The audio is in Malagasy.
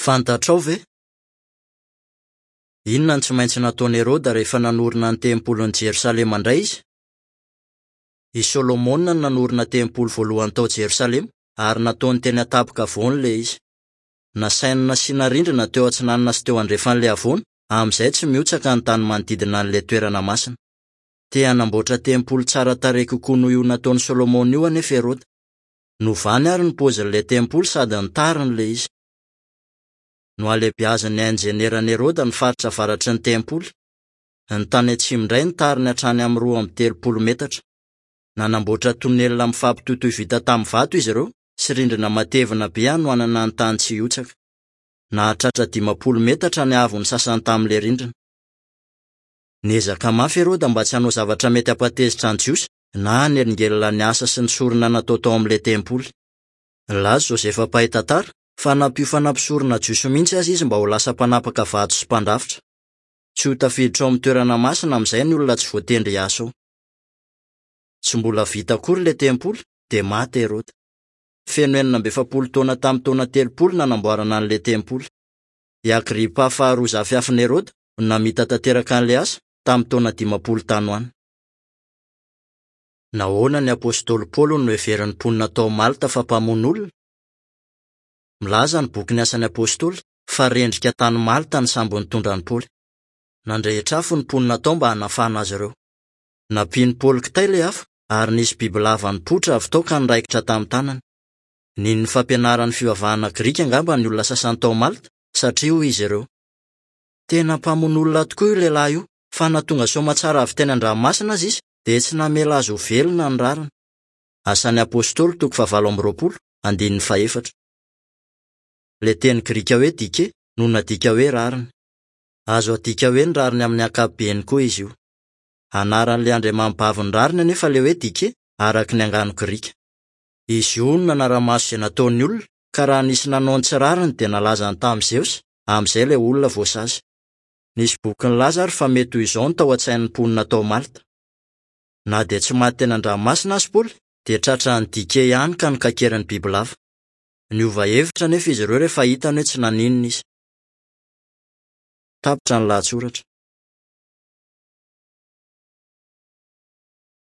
Fantatrao ve? Inona no tsy maintsy nataon'i Heroda rehefa nanorina ny tempolin'i Jerosalema indray izy? I Solomona no nanorina tempoly voalohany tao Jerosalema, ary nataony teny an-tampon-kavoana ilay izy. Nasainy nasiana rindrina teo atsinanana sy teo andrefan'ilay havoana, amin'izay tsy mihotsaka ny tany manodidina an'ilay toerana masina. Te hanamboatra tempoly tsara tarehy kokoa noho io nataon'i Solomona io anefa Heroda. Novany àry ny paozin'ilay tempoly sady nitariny ilay izy. Nohalehibiazin'ny injenieran'i Heroda ny faritra avaratry ny tempoly. Ny tany atsimo indray nitariny hatrany amin'ny 32 metatra. Nanamboatra tonelina mifampitohitohy vita tamin'ny vato izy ireo sy rindrina matevina be hanohanana ny tany tsy hihotsaka. Nahatratra 50 metatra ny haavon'ny sasany tamin'ilay rindrina. Niezaka mafy Heroda mba tsy hanao zavatra mety hampatezitra ny Jiosy na hanelingelina ny asa sy ny sorona natao tao amin'ilay tempoly. Nilaza Josefa mpahay tantara fa nampiofana mpisorona jiosy mihitsy aza izy mba ho lasa mpanapaka vato sy mpandrafitra. Tsy ho tafiditra ao amin'ny toerana masina amin'izay ny olona tsy voatendry hiasa ao. Tsy mbola vita akory ilay tempoly dia maty Heroda. Feno 46 taona tamin'ny taona 30 nanamboarana an'ilay tempoly. I Agripa faharoa zafiafin'i Heroda no namita tanteraka an'ilay asa tamin'ny taona 50 tany ho any. Nahoana ny apostoly Paoly no noheverin'ny mponina tao Malta fa mpamono olona? Milaza ny bokin'ny Asan'ny Apostoly fa rendrika tany Malta ny sambo nitondra an'i Paoly. Nandrehitra afo ny mponina tao mba hanafahana azy ireo. Nampian'i Paoly kitay ilay afo ary nisy bibilava nipoitra avy tao ka niraikitra tamin'ny tanany. Nino ny fampianaran'ny fivavahana grika angamba ny olona sasany tao Malta, satria hoy izy ireo, Tena mpamono olona tokoa io lehilahy io, fa na tonga soamantsara avy teny an-dranomasina aza izy, dia tsy namela azy ho velona ny rariny. Asan'ny Apostoly toko fahavalo amby 20, andininy fahefatra. Ilay teny grika hoe dike no nadika hoe rariny. Azo adika hoe ny rariny amin'ny ankapobeny koa izy io. Anaran'ilay andriamanibavin'ny rariny anefa ilay hoe dike, araka ny angano grika. Izy io no nanara-maso izay nataon'ny olona, ka raha nisy nanao ny tsy rariny dia nalazany tamin'i Zeosy, amin'izay ilay olona voasazy. Nisy boky nilaza àry fa mety ho izao no tao an-tsain'ny mponina tao Malta. Na dia tsy maty teny an-dranomasina aza Paoly, dia tratran'ny dike ihany ka nokakerin'ny bibilava. Niova hevitra anefa izy ireo rehefa hitany hoe tsy naninona izy. Tapitra ny lahatsoratra.